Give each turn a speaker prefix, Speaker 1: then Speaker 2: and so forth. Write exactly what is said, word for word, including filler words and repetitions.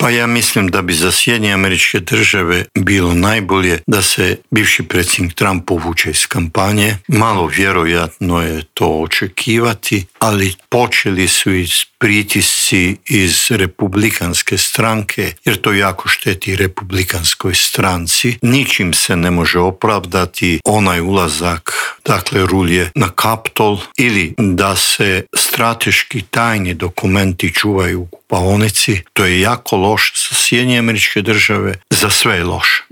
Speaker 1: Pa ja mislim da bi za Sjedinjene Američke Države bilo najbolje da se bivši predsjednik Trump povuče iz kampanje. Malo vjerojatno je to očekivati, ali počeli su iz pritisci iz republikanske stranke, jer to jako šteti republikanskoj stranci. Ničim se ne može opravdati onaj ulazak, dakle rulje na Kapitol, ili da se strateški tajni dokumenti čuvaju u kupaonici. To je jako loš za Sjedinjene Američke Države, za sve je loš.